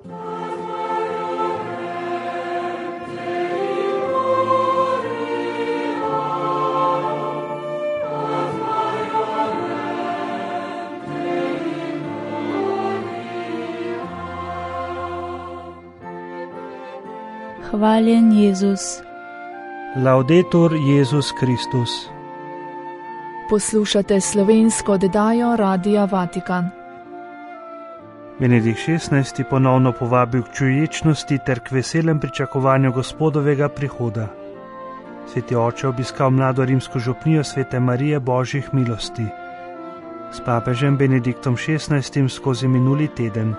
Hvaljen Jezus. Laudetur Jezus Kristus. Poslušate slovensko oddajo Radia Vatikan. Benedikt XVI. Ponovno povabil k čuječnosti ter k veselem pričakovanju Gospodovega prihoda. Sveti oče obiskal mlado rimsko župnijo Svete Marije Božjih milosti. S papežem Benediktom XVI. Skozi minuli teden.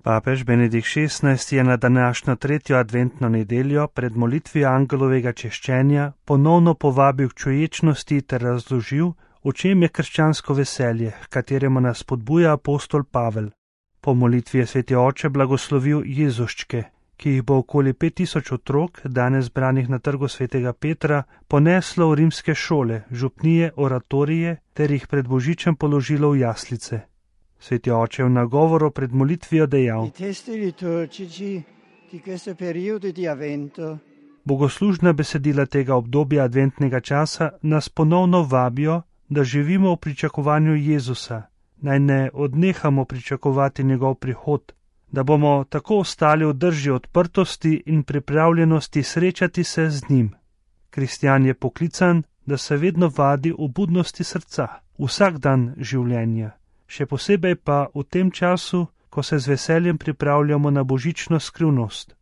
Papež Benedikt XVI. Je na današnjo 3. adventno nedeljo pred molitvijo angelovega češčenja ponovno povabil k čuječnosti ter razložil, v čem je krščansko veselje, h kateremu nas spodbuja apostol Pavel. Po molitvi je sveti oče blagoslovil Jezuščke, ki jih bo okoli 5000 otrok, danes zbranih na trgu svetega Petra, poneslo v rimske šole, župnije, oratorije ter jih pred božičem položilo v jaslice. Sveti oče v nagovoru pred molitvijo dejal: Bogoslužna besedila tega obdobja adventnega časa nas ponovno vabijo, da živimo v pričakovanju Jezusa, naj ne odnehamo pričakovati njegov prihod, da bomo tako ostali v drži odprtosti in pripravljenosti srečati se z njim. Kristjan je poklican, da se vedno vadi v budnosti srca, vsak dan življenja. Še posebej pa v tem času, ko se z veseljem pripravljamo na božično skrivnost.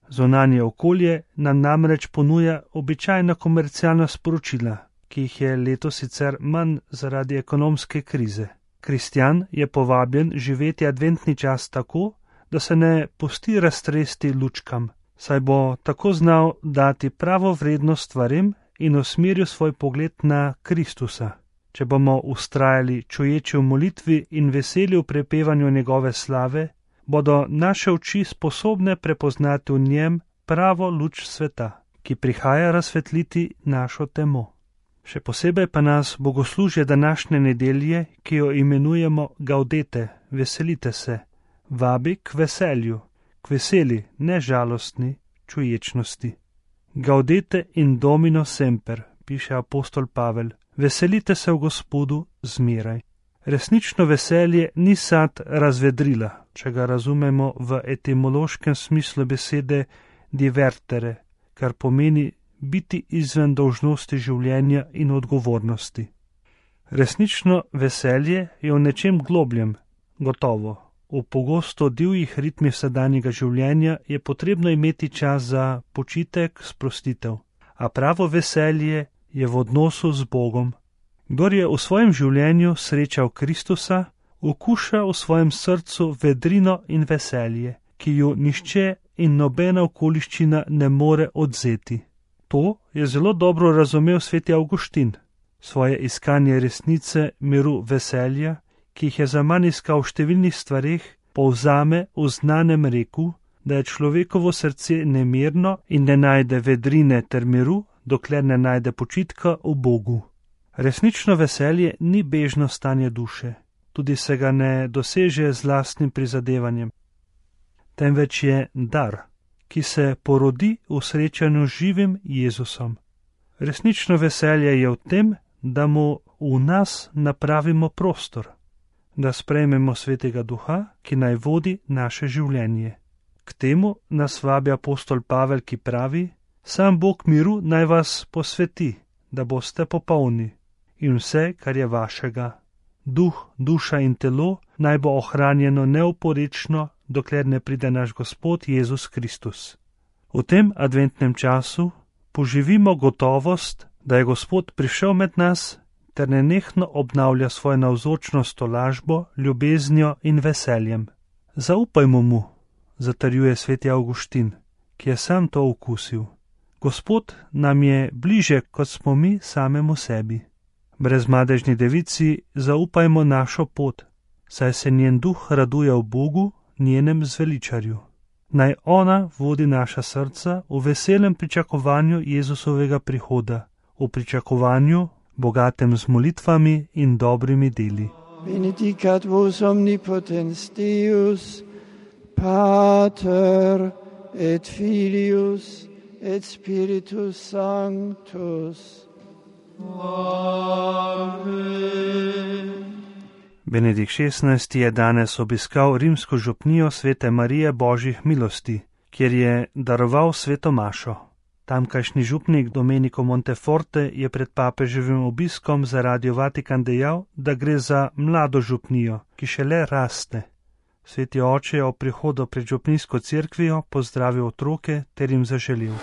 Zunanje okolje nam namreč ponuja običajna komercialna sporočila, ki jih je letos sicer manj zaradi ekonomske krize. Kristjan je povabljen živeti adventni čas tako, da se ne pusti raztresti lučkam, saj bo tako znal dati pravo vrednost stvarem in usmeril svoj pogled na Kristusa. Če bomo vztrajali čuječi v molitvi in veseli v prepevanju njegove slave, bodo naše oči sposobne prepoznati v njem pravo luč sveta, ki prihaja razsvetliti našo temo. Še posebej pa nas bogoslužje današnje nedelje, ki jo imenujemo Gaudete, veselite se, vabi k veselju, k veseli, ne žalostni čuječnosti. Gaudete in Domino semper, piše apostol Pavel. Veselite se v Gospodu zmeraj. Resnično veselje ni sad razvedrila, če ga razumemo v etimološkem smislu besede divertere, kar pomeni biti izven dolžnosti življenja in odgovornosti. Resnično veselje je v nečem globljem, gotovo. V pogosto divjih ritmih sedanjega življenja je potrebno imeti čas za počitek, sprostitev, a pravo veselje je v odnosu z Bogom. Kdor je v svojem življenju srečal Kristusa, okuša v svojem srcu vedrino in veselje, ki ju nihče in nobena okoliščina ne more odzeti. To je zelo dobro razumel sveti Avguštin. Svoje iskanje resnice, miru, veselja, ki jih je zaman iskal v številnih stvareh, povzame v znanem reku, da je človekovo srce nemirno in ne najde vedrine ter miru, dokler ne najde počitka v Bogu. Resnično veselje ni bežno stanje duše, tudi se ga ne doseže z lastnim prizadevanjem, temveč je dar, ki se porodi v srečanju z živim Jezusom. Resnično veselje je v tem, da mu v nas napravimo prostor, da sprejmemo Svetega Duha, ki naj vodi naše življenje. K temu nas vabi apostol Pavel, ki pravi: Sam Bog miru naj vas posveti, da boste popolni, in vse, kar je vašega, duh, duša in telo, naj bo ohranjeno neoporečno, dokler ne pride naš Gospod Jezus Kristus. V tem adventnem času poživimo gotovost, da je Gospod prišel med nas ter nenehno obnavlja svojo navzočnost tolažbo, ljubeznijo in veseljem. Zaupajmo mu, zatrjuje sveti Avguštin, ki je sam to okusil. Gospod nam je bliže, kot smo mi samemu sebi. Brezmadežni devici zaupajmo našo pot, saj se njen duh raduje v Bogu, njenem zveličarju. Naj ona vodi naša srca v veselem pričakovanju Jezusovega prihoda, v pričakovanju bogatem z molitvami in dobrimi deli. benedicat vos omnipotens Deus, Pater et Filius et Spiritus Sanctus. Amen. Benedikt XVI. Je danes obiskal rimsko župnijo Svete Marije Božjih milosti, kjer je daroval sveto mašo. Tamkajšnji župnik Domenico Monteforte je pred papeževim obiskom za Radio Vatikan dejal, da gre za mlado župnijo, ki šele raste. Sveti oče je ob prihodu pred župnijsko cerkvijo pozdravil otroke ter jim zaželil: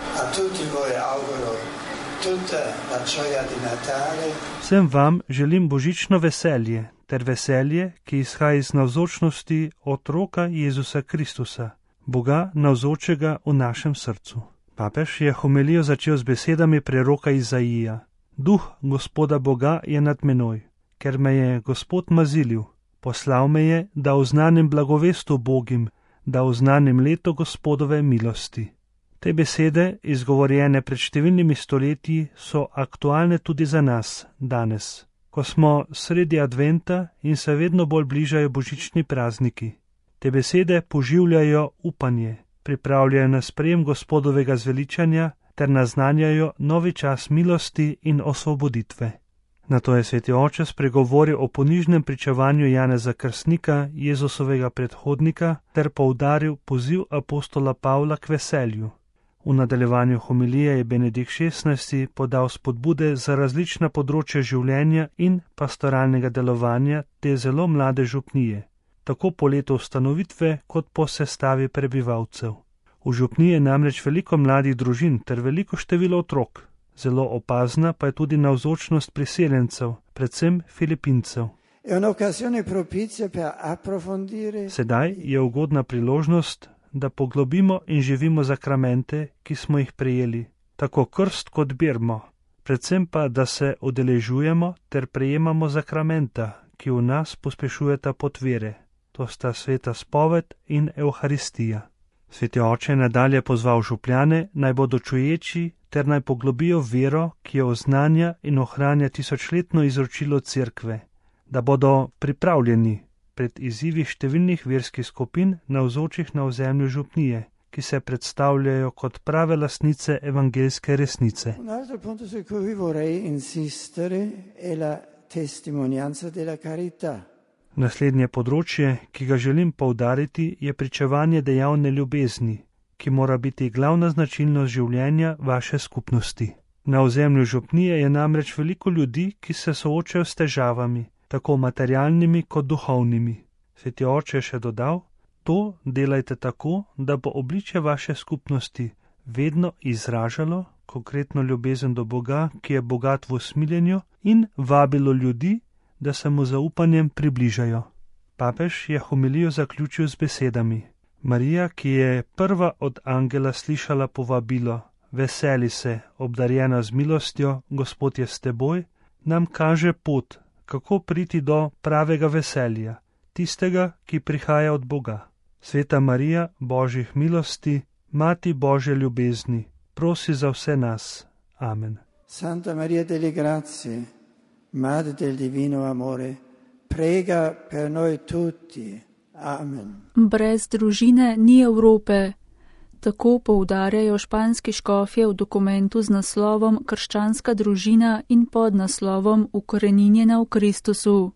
Vsem vam želim božično veselje ter veselje, ki izhaja iz navzočnosti otroka Jezusa Kristusa, Boga navzočega v našem srcu. Papež je homilijo začel z besedami preroka Izaija: Duh Gospoda Boga je nad menoj, ker me je Gospod mazilil. Poslal me je, da oznanim blagovest ubogim, da oznanim leto Gospodove milosti. Te besede, izgovorjene pred številnimi stoletji, so aktualne tudi za nas danes, ko smo sredi adventa in se vedno bolj bližajo božični prazniki. Te besede poživljajo upanje, pripravljajo na sprejem Gospodovega zveličanja ter naznanjajo novi čas milosti in osvoboditve. Nato je sveti oče spregovoril o ponižnem pričevanju Janeza Krstnika, Jezusovega predhodnika, ter poudaril poziv apostola Pavla k veselju. V nadaljevanju homilije je Benedikt XVI. Podal spodbude za različna področja življenja in pastoralnega delovanja te zelo mlade župnije, tako po letu ustanovitve kot po sestavi prebivalcev. V župniji je namreč veliko mladih družin ter veliko število otrok. Zelo opazna pa je tudi navzočnost priseljencev, predvsem Filipincev. Sedaj je ugodna priložnost, da poglobimo in živimo zakramente, ki smo jih prejeli, tako krst kot birmo, predvsem pa, da se udeležujemo ter prejemamo zakramenta, ki v nas pospešujeta pot vere. To sta sveta spoved in Evharistija. Sveti oče je nadalje pozval župljane, naj bodo čuječi ter naj poglobijo vero, ki jo oznanja in ohranja tisočletno izročilo cerkve, da bodo pripravljeni pred izzivi številnih verskih skupin navzočih na ozemlju župnije, ki se predstavljajo kot prave lastnice evangeljske resnice. Naslednje področje, ki ga želim poudariti, je pričevanje dejavne ljubezni, ki mora biti glavna značilnost življenja vaše skupnosti. Na ozemlju župnije je namreč veliko ljudi, ki se soočajo s težavami, tako materialnimi kot duhovnimi. Sveti oče je še dodal: to delajte tako, da bo obličje vaše skupnosti vedno izražalo konkretno ljubezen do Boga, ki je bogat v usmiljenju, in vabilo ljudi, da se mu zaupanjem približajo. Papež je homilijo zaključil z besedami: Marija, ki je prva od angela slišala povabilo: veseli se, obdarjena z milostjo, Gospod je s teboj, nam kaže pot, kako priti do pravega veselja, tistega, ki prihaja od Boga. Sveta Marija, Božjih milosti, Mati Božje ljubezni, prosi za vse nas. Amen. Santa Maria delle Grazie, Madre del Divino Amore, prega per noi tutti. Amen. Brez družine ni Evrope. Tako poudarjajo španski škofje v dokumentu z naslovom Krščanska družina in pod naslovom Ukoreninjena v Kristusu.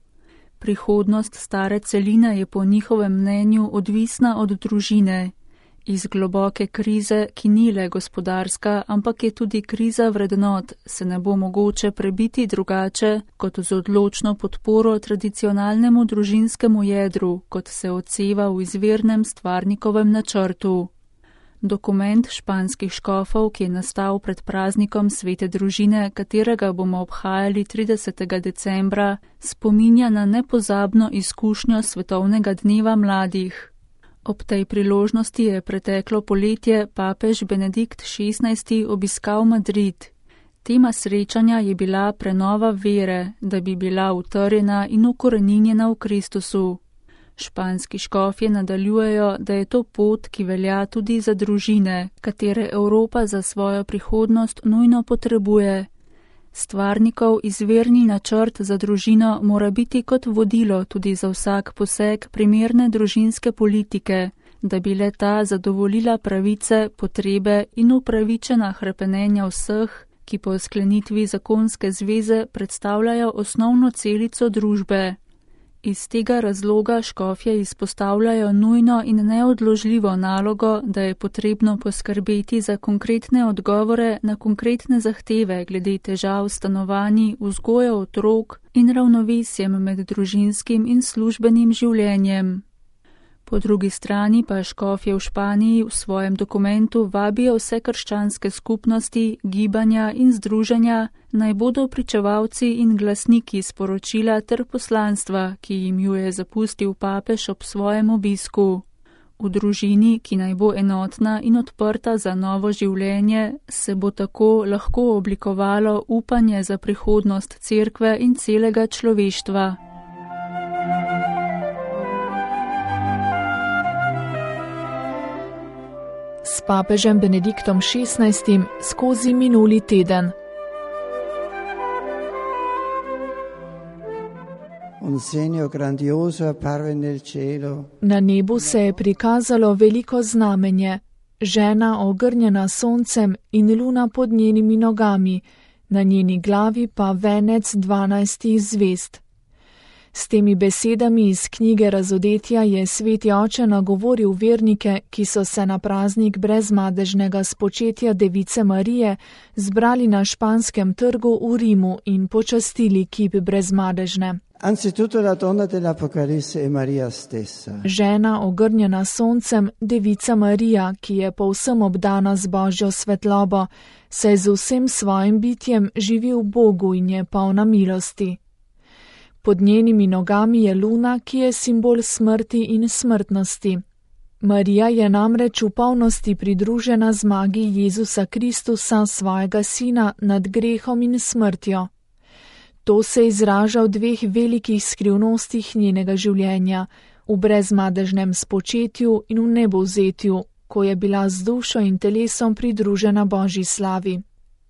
Prihodnost stare celine je po njihovem mnenju odvisna od družine. Iz globoke krize, ki ni le gospodarska, ampak je tudi kriza vrednot, se ne bo mogoče prebiti drugače kot z odločno podporo tradicionalnemu družinskemu jedru, kot se odseva v izvirnem stvarnikovem načrtu. Dokument španskih škofov, ki je nastal pred praznikom svete družine, katerega bomo obhajali 30. decembra, spominja na nepozabno izkušnjo svetovnega dneva mladih. Ob tej priložnosti je preteklo poletje papež Benedikt XVI. Obiskal Madrid. Tema srečanja je bila prenova vere, da bi bila utrjena in ukoreninjena v Kristusu. Španski škofje nadaljujejo, da je to pot, ki velja tudi za družine, katere Evropa za svojo prihodnost nujno potrebuje. Stvarnikov izvirni načrt za družino mora biti kot vodilo tudi za vsak poseg primerne družinske politike, da bi le-ta zadovoljila pravice, potrebe in upravičena hrepenenja vseh, ki po sklenitvi zakonske zveze predstavljajo osnovno celico družbe. Iz tega razloga škofje izpostavljajo nujno in neodložljivo nalogo, da je potrebno poskrbeti za konkretne odgovore na konkretne zahteve glede težav stanovanji, vzgoje otrok in ravnovesjem med družinskim in službenim življenjem. Po drugi strani pa škofje v Španiji v svojem dokumentu vabijo vse krščanske skupnosti, gibanja in združenja, naj bodo pričevalci in glasniki sporočila ter poslanstva, ki jim ju je zapustil papež ob svojem obisku. V družini, ki naj bo enotna in odprta za novo življenje, se bo tako lahko oblikovalo upanje za prihodnost cerkve in celega človeštva. S papežem Benediktom XVI skozi minuli teden. Na nebu se je prikazalo veliko znamenje, žena ogrnjena soncem in luna pod njenimi nogami, na njeni glavi pa venec 12 zvezd. S temi besedami iz knjige Razodetja je sveti oče nagovoril vernike, ki so se na praznik brezmadežnega spočetja Device Marije zbrali na Španskem trgu v Rimu in počastili kip brezmadežne. Žena ogrnjena soncem, Devica Marija, ki je povsem obdana z Božjo svetlobo, se z vsem svojim bitjem živi v Bogu in je polna milosti. Pod njenimi nogami je luna, ki je simbol smrti in smrtnosti. Marija je namreč v polnosti pridružena zmagi Jezusa Kristusa, svojega sina, nad grehom in smrtjo. To se izraža v dveh velikih skrivnostih njenega življenja, v brezmadežnem spočetju in v nebovzetju, ko je bila z dušo in telesom pridružena Božji slavi.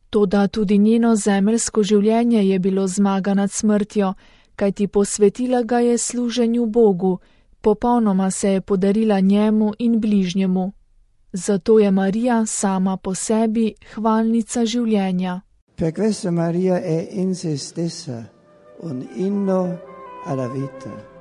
Toda tudi njeno zemeljsko življenje je bilo zmaga nad smrtjo, kajti posvetila ga je služenju Bogu, popolnoma se je podarila njemu in bližnjemu. Zato je Marija sama po sebi hvalnica življenja. Per questo Maria è in se stessa un inno alla vita.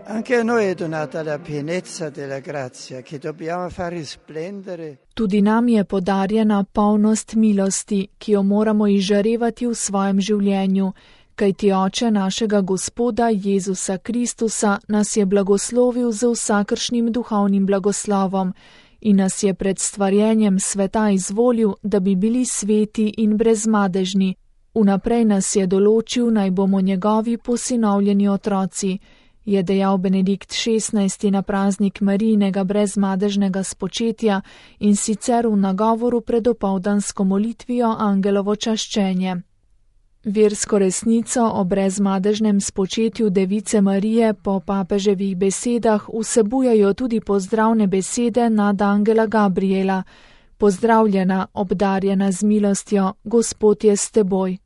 Anche a noi è donata la pienezza della grazia che dobbiamo far risplendere. Tudi nam je podarjena polnost milosti, ki jo moramo izžarevati v svojem življenju, kajti Oče našega Gospoda Jezusa Kristusa nas je blagoslovil z vsakršnim duhovnim blagoslovom in nas je pred stvarjenjem sveta izvolil, da bi bili sveti in brezmadežni. Vnaprej nas je določil, naj bomo njegovi posinovljeni otroci, je dejal Benedikt XVI na praznik Marijinega brezmadežnega spočetja in sicer v nagovoru pred opoldansko molitvijo Angelovo čaščenje. Versko resnico o brezmadežnem spočetju Device Marije po papeževih besedah vsebujejo tudi pozdravne besede nad angela Gabriela: Pozdravljena, obdarjena z milostjo, Gospod je s teboj.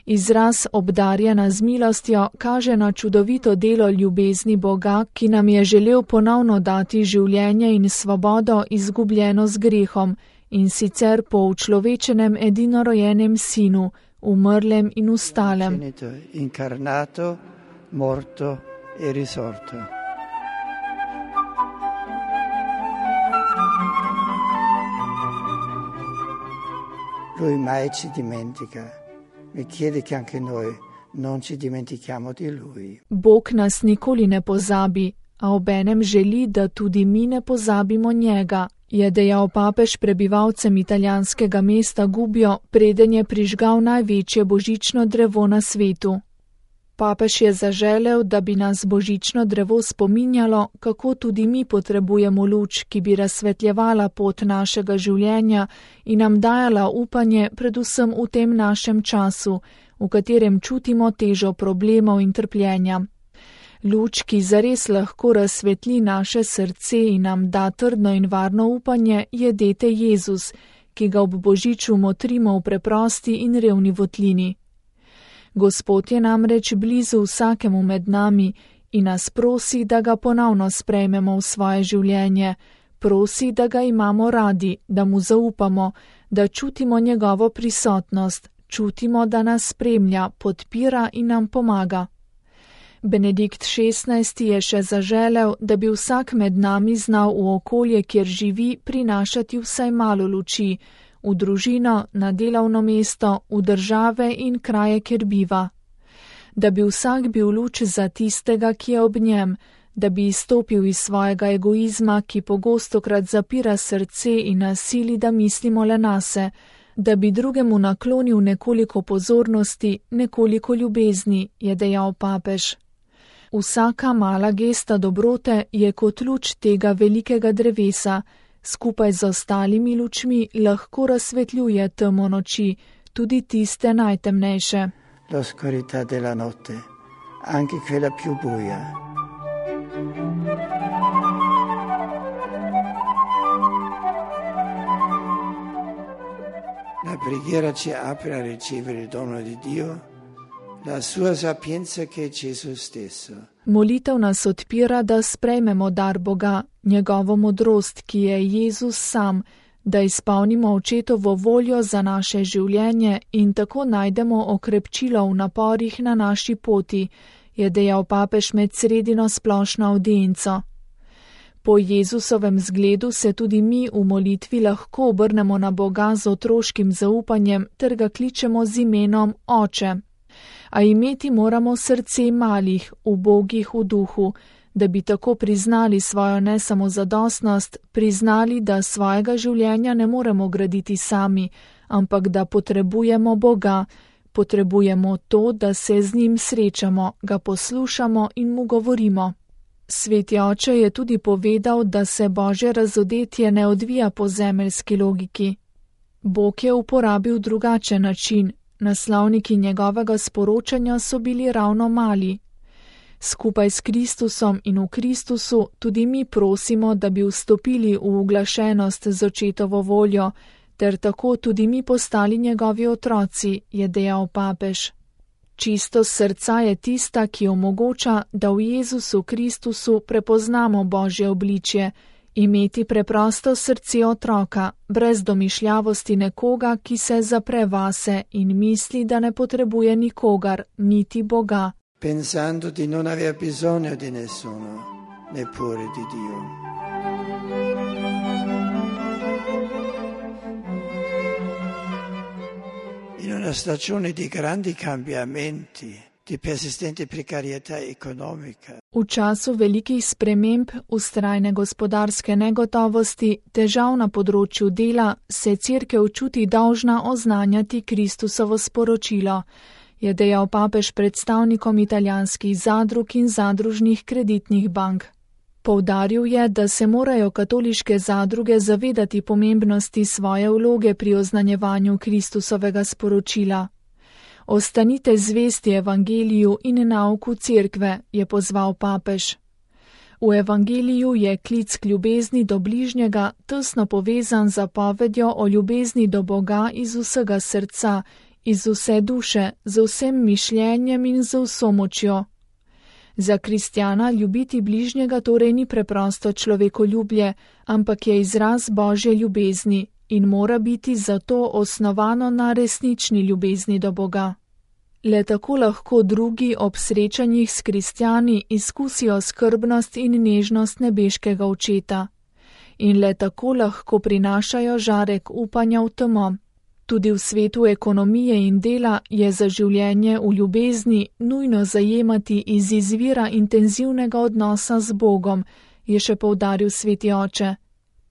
Izraz obdarjena z milostjo kaže na čudovito delo ljubezni Boga, ki nam je želel ponovno dati življenje in svobodo izgubljeno z grehom, in sicer po učlovečenem edinorojenem sinu, umrlem in ustalem. Incarnato, morto e risorto. Lui mai ci dimentica. Mi chiede che anche noi non ci dimentichiamo di lui. Bog nas nikoli ne pozabi, a obenem želi, da tudi mi ne pozabimo njega, je dejal papež prebivalcem italijanskega mesta Gubbio, preden je prižgal največje božično drevo na svetu. Papež je zaželel, da bi nas božično drevo spominjalo, kako tudi mi potrebujemo luč, ki bi razsvetljevala pot našega življenja in nam dajala upanje predvsem v tem našem času, v katerem čutimo težo problemov in trpljenja. Luč, ki zares lahko razsvetli naše srce in nam da trdno in varno upanje, je dete Jezus, ki ga ob božiču motrimo v preprosti in revni votlini. Gospod je namreč blizu vsakemu med nami in nas prosi, da ga ponovno sprejmemo v svoje življenje, prosi, da ga imamo radi, da mu zaupamo, da čutimo njegovo prisotnost, čutimo, da nas spremlja, podpira in nam pomaga. Benedikt XVI je še zaželel, da bi vsak med nami znal v okolje, kjer živi, prinašati vsaj malo luči, v družino, na delovno mesto, v države in kraje, kjer biva. Da bi vsak bil luč za tistega, ki je ob njem, da bi izstopil iz svojega egoizma, ki pogostokrat zapira srce in nasili, da mislimo le nase, da bi drugemu naklonil nekoliko pozornosti, nekoliko ljubezni, je dejal papež. Vsaka mala gesta dobrote je kot luč tega velikega drevesa, skupaj z ostalimi lučmi lahko razsvetljuje temo noči, tudi tiste najtemnejše. L'oscurità della notte, anche quella più buia. La preghiera ci apre a ricevere il dono di Dio, la sua sapienza che è Gesù stesso. Molitev nas odpira, da sprejmemo dar Boga, njegovo modrost, ki je Jezus sam, da izpolnimo očetovo voljo za naše življenje in tako najdemo okrepčilo v naporih na naši poti, je dejal papež med sredino splošno avdienco. Po Jezusovem zgledu se tudi mi v molitvi lahko obrnemo na Boga z otroškim zaupanjem ter ga kličemo z imenom Oče. A imeti moramo srce malih, ubogih v duhu, da bi tako priznali svojo nesamozadostnost, priznali, da svojega življenja ne moremo graditi sami, ampak da potrebujemo Boga, potrebujemo to, da se z njim srečamo, ga poslušamo in mu govorimo. Sveti oče je tudi povedal, da se Božje razodetje ne odvija po zemeljski logiki. Bog je uporabil drugačen način, naslovniki njegovega sporočanja so bili ravno mali. Skupaj s Kristusom in v Kristusu tudi mi prosimo, da bi vstopili v uglašenost z očetovo voljo, ter tako tudi mi postali njegovi otroci, je dejal papež. Čistost srca je tista, ki omogoča, da v Jezusu Kristusu prepoznamo Božje obličje, imeti preprosto srce otroka, brez domišljavosti nekoga, ki se zapre vase in misli, da ne potrebuje nikogar, niti Boga. Pensando di non aver bisogno di nessuno, neppure di Dio. In una stagione di grandi cambiamenti, di persistente precarietà economica. V času velikih sprememb, vztrajne gospodarske negotovosti, težav na področju dela, se Cerkev čuti dolžna oznanjati Kristusovo sporočilo, je dejal papež predstavnikom italijanskih zadrug in zadružnih kreditnih bank. Poudaril je, da se morajo katoliške zadruge zavedati pomembnosti svoje vloge pri oznanjevanju Kristusovega sporočila. Ostanite zvesti evangeliju in nauku cerkve, je pozval papež. V evangeliju je klic k ljubezni do bližnjega tesno povezan z zapovedjo o ljubezni do Boga iz vsega srca, iz vse duše, z vsem mišljenjem in z vso močjo. Za kristjana ljubiti bližnjega torej ni preprosto človekoljubje, ampak je izraz Božje ljubezni in mora biti zato osnovano na resnični ljubezni do Boga. Le tako lahko drugi ob srečanjih s kristjani izkusijo skrbnost in nežnost nebeškega očeta. In le tako lahko prinašajo žarek upanja v temo. Tudi v svetu ekonomije in dela je za življenje v ljubezni nujno zajemati iz izvira intenzivnega odnosa z Bogom, je še poudaril sveti oče.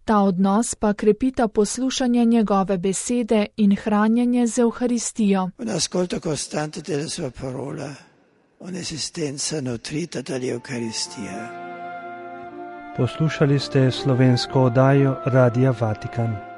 Ta odnos pa krepita poslušanje njegove besede in hranjenje z Evharistijo. Un ascolto costante della sua parola, un'esistenza nutrita dall'Eucaristia. Poslušali ste slovensko oddajo Radia Vatikan.